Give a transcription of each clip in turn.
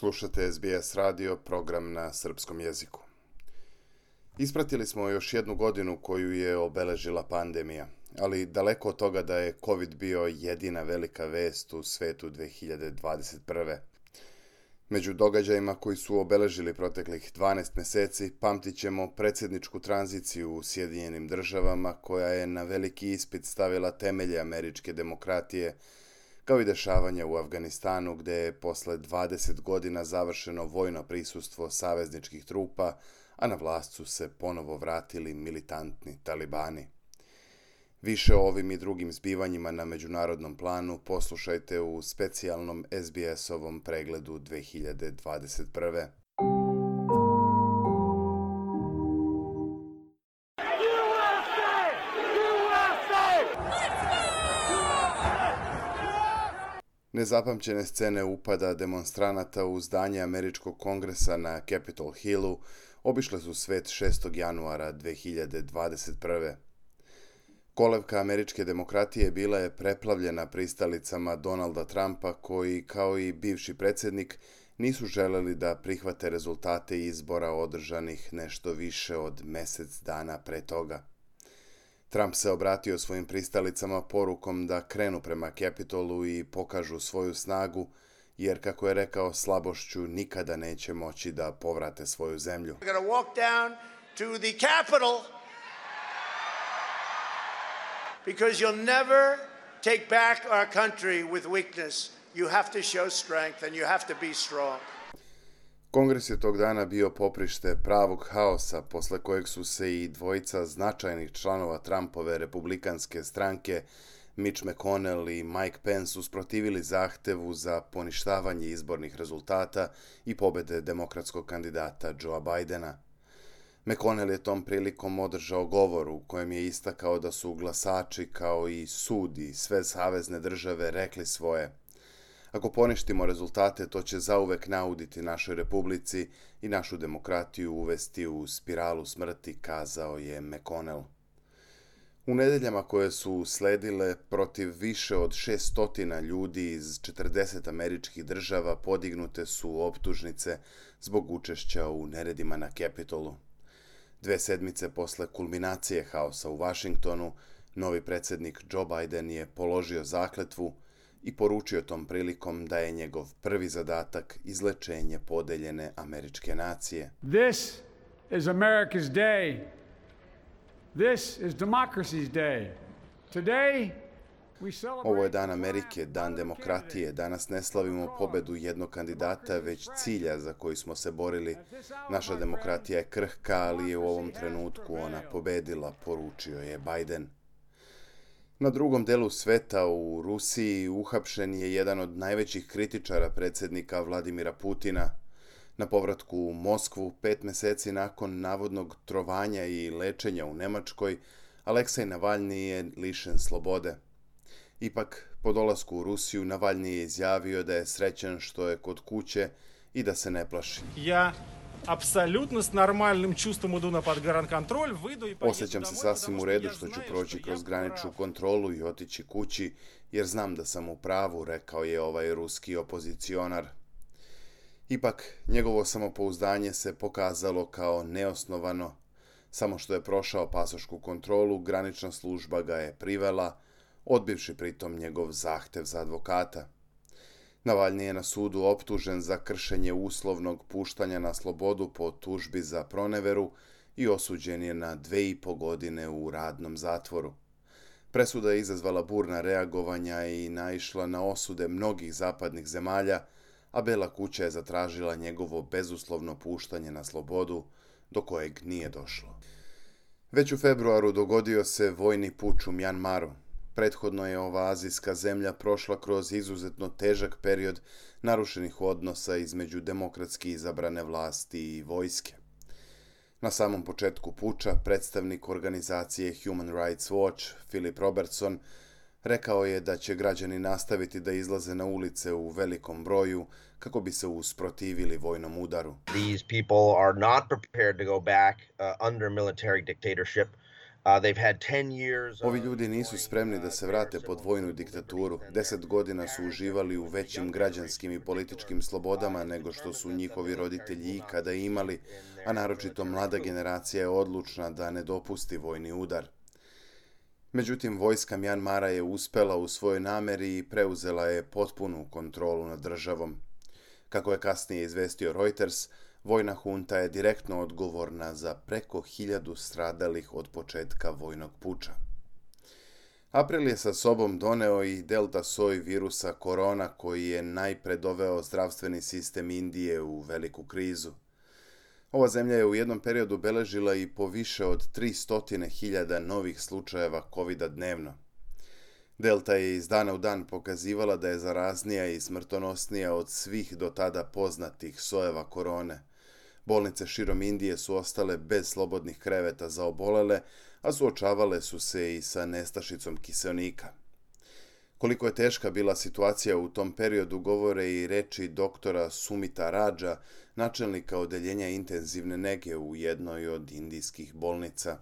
Slušate SBS radio, program na srpskom jeziku. Ispratili smo još jednu godinu koju je obeležila pandemija, ali daleko od toga da je COVID bio jedina velika vest u svetu 2021. Među događajima koji su obeležili proteklih 12 mjeseci pamtit ćemo predsjedničku tranziciju u Sjedinjenim državama koja je na veliki ispit stavila temelje američke demokratije, kao i dešavanja u Afganistanu gdje je posle 20 godina završeno vojno prisustvo savezničkih trupa, a na vlast su se ponovo vratili militantni talibani. Više o ovim i drugim zbivanjima na međunarodnom planu poslušajte u specijalnom SBS-ovom pregledu 2021. Nezapamćene scene upada demonstranata u zdanje američkog kongresa na Capitol Hillu obišle su svet 6. januara 2021. Kolevka američke demokratije bila je preplavljena pristalicama Donalda Trumpa koji, kao i bivši predsjednik, nisu želeli da prihvate rezultate izbora održanih nešto više od mjesec dana pre toga. Trump se obratio svojim pristalicama porukom da krenu prema Capitolu i pokažu svoju snagu, jer, kako je rekao, slabošću nikada neće moći da povrate svoju zemlju. We're going to walk down to the Capitol because you'll never take back our country with weakness. You have to show strength and you have to be strong. Kongres je tog dana bio poprište pravog haosa, posle kojeg su se i dvojica značajnih članova Trumpove republikanske stranke, Mitch McConnell i Mike Pence, usprotivili zahtevu za poništavanje izbornih rezultata i pobede demokratskog kandidata Joea Bidena. McConnell je tom prilikom održao govor u kojem je istakao da su glasači kao i sud i sve savezne države rekli svoje. Ako poništimo rezultate, to će zauvek nauditi našoj republici i našu demokratiju uvesti u spiralu smrti, kazao je McConnell. U nedeljama koje su sledile, protiv više od 600 ljudi iz 40 američkih država podignute su optužnice zbog učešća u neredima na Capitolu. 2 sedmice posle kulminacije haosa u Washingtonu, novi predsjednik Joe Biden je položio zakletvu i poručio tom prilikom da je njegov prvi zadatak izlečenje podeljene američke nacije. This is America's day. This is democracy's day. Today we celebrate. Ovo je dan Amerike, dan demokratije. Danas ne slavimo pobedu jednog kandidata, već cilja za koji smo se borili. Naša demokratija je krhka, ali je u ovom trenutku ona pobedila, poručio je Biden. Na drugom delu sveta, u Rusiji, uhapšen je jedan od najvećih kritičara predsjednika Vladimira Putina. Na povratku u Moskvu, 5 mjeseci nakon navodnog trovanja i lečenja u Njemačkoj, Aleksej Navalni je lišen slobode. Ipak, po dolasku u Rusiju, Navalni je izjavio da je srećan što je kod kuće i da se ne plaši. Apsolutno s normalnim čustvom idu na podgarankontrol, vyjdu i Osjećam se sasvim u redu što ću proći kroz graničnu kontrolu i otići kući, jer znam da sam u pravu, rekao je ovaj ruski opozicionar. Ipak, njegovo samopouzdanje se pokazalo kao neosnovano. Samo što je prošao pasošku kontrolu, granična služba ga je privela, odbivši pritom njegov zahtev za advokata. Navalni je na sudu optužen za kršenje uslovnog puštanja na slobodu po tužbi za proneveru i osuđen je na 2,5 godine u radnom zatvoru. Presuda je izazvala burna reagovanja i naišla na osude mnogih zapadnih zemalja, a Bela kuća je zatražila njegovo bezuslovno puštanje na slobodu, do kojeg nije došlo. Već u februaru dogodio se vojni puč u Mjanmaru. Prethodno je ova azijska zemlja prošla kroz izuzetno težak period narušenih odnosa između demokratski izabrane vlasti i vojske. Na samom početku puča predstavnik organizacije Human Rights Watch, Philip Robertson, rekao je da će građani nastaviti da izlaze na ulice u velikom broju kako bi se usprotivili vojnom udaru. These people are not prepared to go back under military dictatorship. Ovi ljudi nisu spremni da se vrate pod vojnu diktaturu. 10 godina su uživali u većim građanskim i političkim slobodama nego što su njihovi roditelji ikada imali, a naročito mlada generacija je odlučna da ne dopusti vojni udar. Međutim, vojska Mjanmara je uspela u svojoj nameri i preuzela je potpunu kontrolu nad državom. Kako je kasnije izvestio Reuters, vojna hunta je direktno odgovorna za preko 1000 stradalih od početka vojnog puča. April je sa sobom doneo i delta soj virusa korona koji je najpre doveo zdravstveni sistem Indije u veliku krizu. Ova zemlja je u jednom periodu beležila i po više od 300.000 novih slučajeva COVID-a dnevno. Delta je iz dana u dan pokazivala da je zaraznija i smrtonosnija od svih do tada poznatih sojeva korone. Bolnice širom Indije su ostale bez slobodnih kreveta za obolele, a suočavale su se i sa nestašicom kiseonika. Koliko je teška bila situacija u tom periodu govore i reči doktora Sumita Raja, načelnika odeljenja intenzivne nege u jednoj od indijskih bolnica.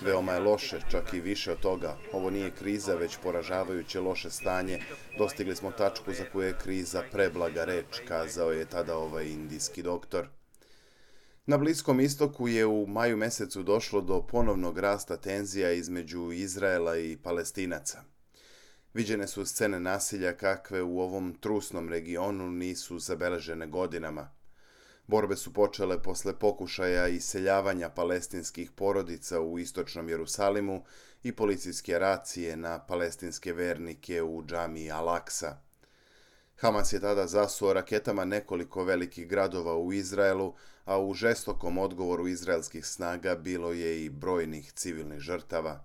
Veoma je loše, čak i više od toga. Ovo nije kriza, već poražavajuće loše stanje. Dostigli smo tačku za koju je kriza preblaga reč, kazao je tada ovaj indijski doktor. Na Bliskom istoku je u maju mesecu došlo do ponovnog rasta tenzija između Izraela i Palestinaca. Viđene su scene nasilja kakve u ovom trusnom regionu nisu zabeležene godinama. Borbe su počele posle pokušaja iseljavanja palestinskih porodica u istočnom Jerusalimu i policijske racije na palestinske vernike u džamiji Al-Aksa. Hamas je tada zasuo raketama nekoliko velikih gradova u Izraelu, a u žestokom odgovoru izraelskih snaga bilo je i brojnih civilnih žrtava.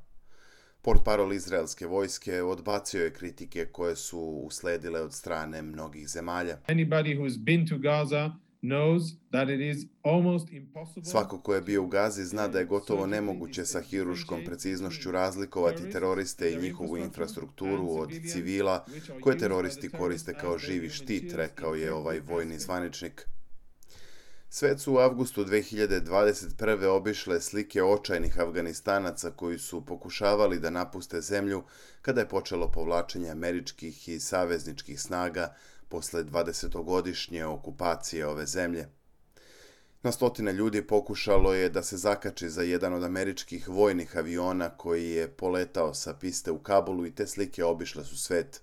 Portparol izraelske vojske odbacio je kritike koje su usledile od strane mnogih zemalja. Svako ko je bio u Gazi zna da je gotovo nemoguće sa hiruškom preciznošću razlikovati teroriste i njihovu infrastrukturu od civila koje teroristi koriste kao živi štit, rekao je ovaj vojni zvaničnik. Svet su u avgustu 2021. obišle slike očajnih Afganistanaca koji su pokušavali da napuste zemlju kada je počelo povlačenje američkih i savezničkih snaga posle 20-godišnje okupacije ove zemlje. Na stotine ljudi pokušalo je da se zakači za jedan od američkih vojnih aviona koji je poletao sa piste u Kabulu i te slike obišle su svet.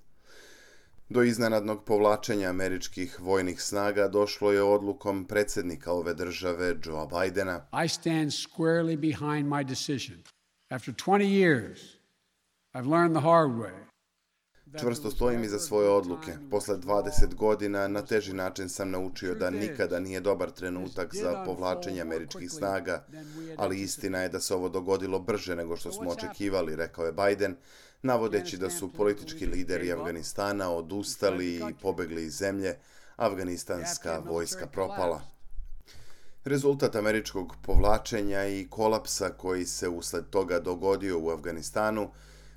Do iznenadnog povlačenja američkih vojnih snaga došlo je odlukom predsjednika ove države, Joea Bidena. I stand squarely behind my decision. After 20 years, I've learned the hard way. Čvrsto stojim iza svoje odluke. Posle 20 godina na teži način sam naučio da nikada nije dobar trenutak za povlačenje američkih snaga, ali istina je da se ovo dogodilo brže nego što smo očekivali, rekao je Biden, navodeći da su politički lideri Afganistana odustali i pobegli iz zemlje, afganistanska vojska propala. Rezultat američkog povlačenja i kolapsa koji se usled toga dogodio u Afganistanu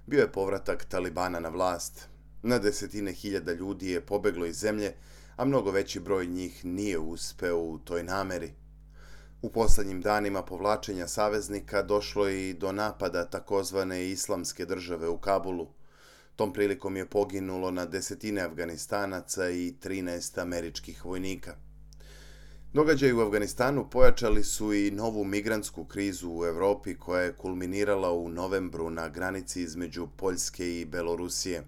bio je povratak Talibana na vlast. Na desetine hiljada ljudi je pobeglo iz zemlje, a mnogo veći broj njih nije uspeo u toj nameri. U posljednjim danima povlačenja saveznika došlo je i do napada takozvane Islamske države u Kabulu. Tom prilikom je poginulo na desetine Afganistanaca i 13 američkih vojnika. Događaji u Afganistanu pojačali su i novu migrantsku krizu u Europi koja je kulminirala u novembru na granici između Poljske i Belorusije.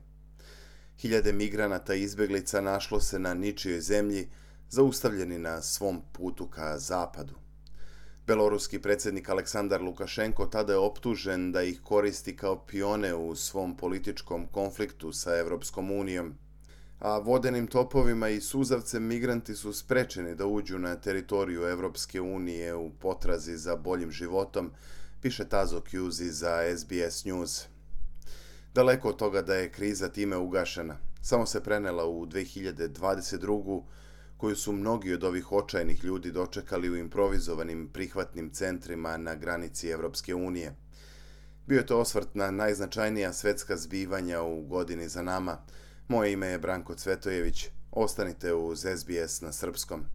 Hiljade migranata i izbjeglica našlo se na ničijoj zemlji, zaustavljeni na svom putu ka zapadu. Beloruski predsjednik Aleksandar Lukašenko tada je optužen da ih koristi kao pione u svom političkom konfliktu sa Europskom unijom. A vodenim topovima i suzavcem migranti su sprečeni da uđu na teritoriju Europske unije u potrazi za boljim životom, piše Tazo Kjuzi za SBS News. Daleko od toga da je kriza time ugašena, samo se prenela u 2022. koju su mnogi od ovih očajnih ljudi dočekali u improvizovanim prihvatnim centrima na granici Europske unije. Bio je to osvrt na najznačajnija svetska zbivanja u godini za nama. Moje ime je Branko Cvetojević. Ostanite uz SBS na srpskom.